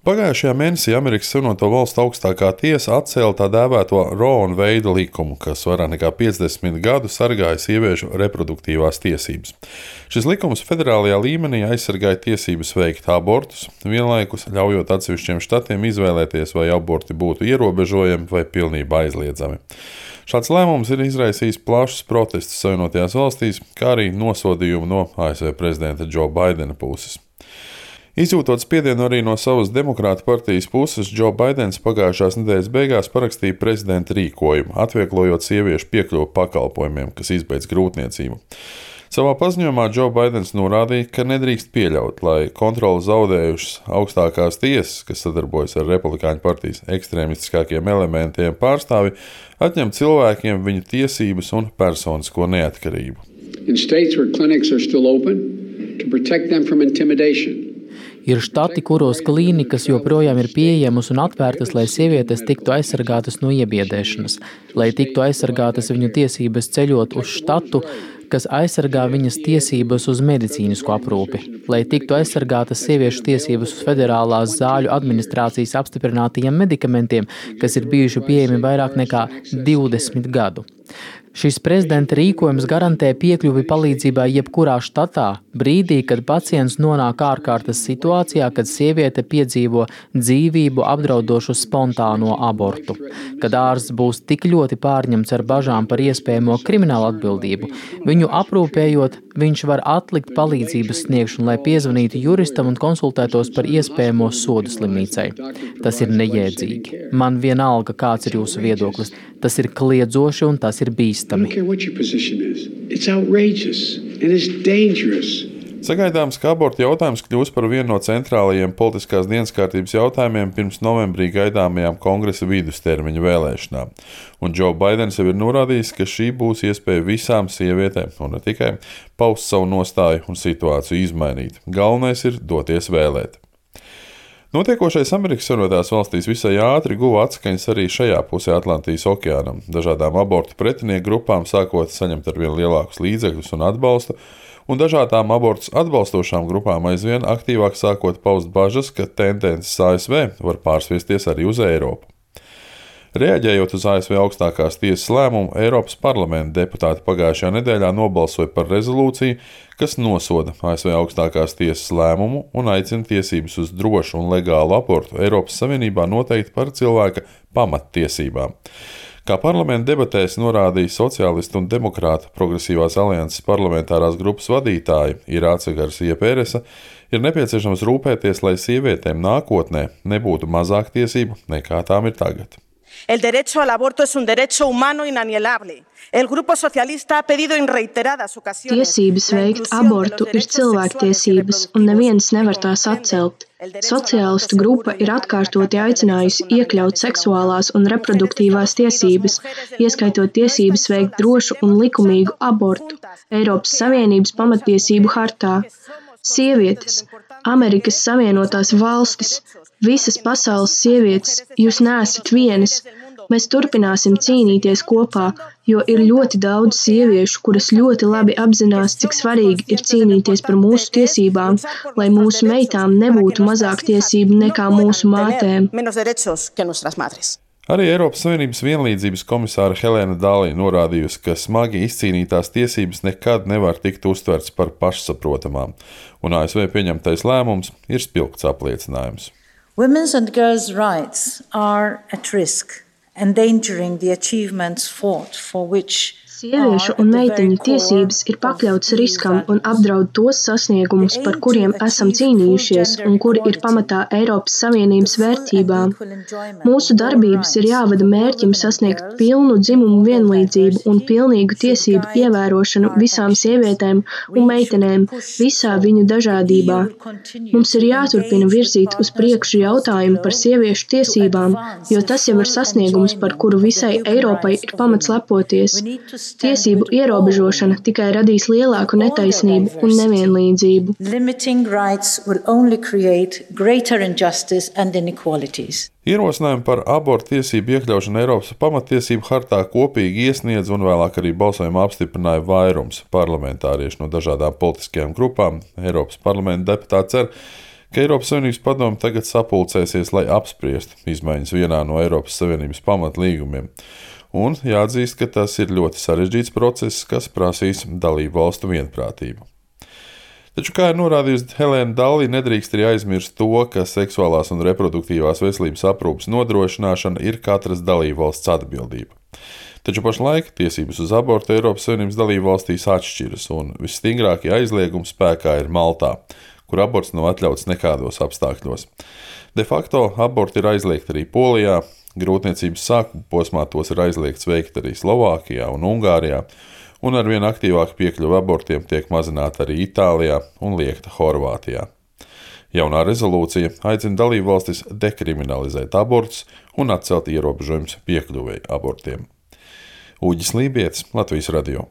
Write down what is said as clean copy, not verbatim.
Pagājušajā mēnesī Amerikas Savienoto Valstu augstākā tiesa atcēla tā dēvēto Roe Veida likumu, kas vairāk nekā 50 gadu sargāja sieviešu reproduktīvās tiesības. Šis likums federālajā līmenī aizsargāja tiesības veikt abortus, vienlaikus ļaujot atsevišķiem štatiem izvēlēties, vai aborti būtu ierobežojami vai pilnībā aizliedzami. Šāds lēmums ir izraisījis plašus protestus Savienotajās valstīs, kā arī nosodījumu no ASV prezidenta Joe Bidena puses. Izjūtot spiedienu arī no savas demokrātu partijas puses, Joe Bidens pagājušās nedēļas beigās parakstīja prezidenta rīkojumu, atvieglojot sieviešu piekļuvi pakalpojumiem, kas izbeidz grūtniecību. Savā paziņojumā Joe Bidens norādīja, ka nedrīkst pieļaut, lai kontroli zaudējušas augstākās tiesas, kas sadarbojas ar Republikāņu partijas ekstrēmistiskākiem elementiem pārstāvi, atņem cilvēkiem viņu tiesības un personisko neatkarību. Ir štati, kuros klīnikas joprojām ir pieejamas un atvērtas, lai sievietes tiktu aizsargātas no iebiedēšanas, lai tiktu aizsargātas viņu tiesības ceļot uz štatu, kas aizsargā viņas tiesības uz medicīnisku aprūpi, lai tiktu aizsargātas sieviešu tiesības uz federālās zāļu administrācijas apstiprinātajiem medikamentiem, kas ir bijuši pieejami vairāk nekā 20 gadu. Šis prezidenta rīkojums garantē piekļuvi palīdzībai jebkurā štatā, brīdī, kad pacients nonāk ārkārtas situācijā, kad sieviete piedzīvo dzīvību apdraudošu spontāno abortu. Kad ārsts būs tik ļoti pārņemts ar bažām par iespējamo kriminālu atbildību, viņu aprūpējot, viņš var atlikt palīdzības sniegšanu, lai piezvanītu juristam un konsultētos par iespējamo sodu slimnīcai. Tas ir nejēdzīgi. Man vienalga, kāds ir jūsu viedoklis. Tas ir kliedzoši un tas ir bīstami. Sagaidāms, ka abortu jautājums kļūs par vienu no centrālajiem politiskās dienas kārtības jautājumiem pirms novembrī gaidāmajām kongresa vidustermiņa vēlēšanām. Un Joe Bidens jau ir norādījis, ka šī būs iespēja visām sievietēm, un ne tikai, paust savu nostāju un situāciju izmainīt. Galvenais ir doties vēlēt. Notiekošais Amerikas Savienotās valstīs visai ātri guva atskaņas arī šajā pusē Atlantijas okeānam. Dažādām abortu pretinieku grupām sākot saņemt arvien lielākus līdzekļus un atbalstu, un dažādām abortus atbalstošām grupām aizvien aktīvāk sākot paust bažas, ka tendences ASV var pārsviesties arī uz Eiropu. Reaģējot uz ASV augstākās tiesas lēmumu, Eiropas parlamenta deputāti pagājušajā nedēļā nobalsoja par rezolūciju, kas nosoda ASV augstākās tiesas lēmumu un aicina tiesības uz drošu un legālu abortu Eiropas Savienībā noteikt par cilvēka pamattiesībām. Kā parlamenta debatēs norādīja sociālistu un demokrātu progresīvās alianses parlamentārās grupas vadītāja Irāce Garcia Péresa, ir nepieciešams rūpēties, lai sievietēm nākotnē nebūtu mazāk tiesību nekā tām ir tagad. El derecho al aborto es un derecho humano inalienable. El Grupo Socialista ha pedido en reiteradas ocasiones. Tiesības veikt abortu ir cilvēktiesības, un neviens nevar tās atcelt. Sociālistu grupa ir atkārtoti aicinājusi iekļaut seksuālās un reproduktīvās tiesības, ieskaitot tiesības veikt drošu un likumīgu abortu Eiropas Savienības pamattiesību hartā. Sievietes, Amerikas Savienotās valstis, visas pasaules sievietes, jūs neesat vienas. Mēs turpināsim cīnīties kopā, jo ir ļoti daudz sieviešu, kuras ļoti labi apzinās, cik svarīgi ir cīnīties par mūsu tiesībām, lai mūsu meitām nebūtu mazāk tiesību nekā mūsu mātēm. Arī Eiropas Savienības vienlīdzības komisāra Helēna Dālī norādījusi, ka smagi izcīnītās tiesības nekad nevar tikt uztverts par pašsaprotamām, un ASV pieņemtais lēmums ir spilgts apliecinājums. Women's and girls' rights are at risk, endangering the achievements fought for which Sieviešu un meiteņu tiesības ir pakļautas riskam un apdraud tos sasniegumus, par kuriem esam cīnījušies un kuri ir pamatā Eiropas Savienības vērtībām. Mūsu darbības ir jāvada mērķim sasniegt pilnu dzimumu vienlīdzību un pilnīgu tiesību ievērošanu visām sievietēm un meitenēm visā viņu dažādībā. Mums ir jāturpina virzīt uz priekšu jautājumu par sieviešu tiesībām, jo tas jau ir sasniegums, par kuru visai Eiropai ir pamats lepoties. Tiesību ierobežošana tikai radīs lielāku netaisnību un nevienlīdzību. Ierosinājumu par abortu tiesību iekļaušanu Eiropas pamattiesību hartā kopīgi iesniedz un vēlāk arī balsojumā apstiprināja vairums parlamentāriešu no dažādām politiskajām grupām. Eiropas parlamenta deputāti cer, ka Eiropas Savienības padome tagad sapulcēsies, lai apspriestu izmaiņas vienā no Eiropas Savienības pamatlīgumiem. Un jāatzīst, ka tas ir ļoti sarežģīts process, kas prasīs dalību valstu vienprātību. Taču, kā ir norādījusi Helēna Dalli, nedrīkst arī aizmirst to, ka seksuālās un reproduktīvās veselības aprūpes nodrošināšana ir katras dalību valsts atbildība. Taču pašlaik tiesības uz abortu Eiropas Savienības dalību valstīs atšķiras, un visstingrākie aizliegumi spēkā ir Maltā, kur aborts nav atļauts nekādos apstākļos. De facto aborti ir aizliegti arī Polijā, grūtniecības sākuma posmā tos ir aizliegts veikt arī Slovākijā un Ungārijā, un arvien aktīvāk piekļuva abortiem tiek mazināta arī Itālijā un liekta Horvātijā. Jaunā rezolūcija aicina dalībvalstis dekriminalizēt abortus un atcelt ierobežojumus piekļuvēji abortiem. Uģis Lībietis, Latvijas radio.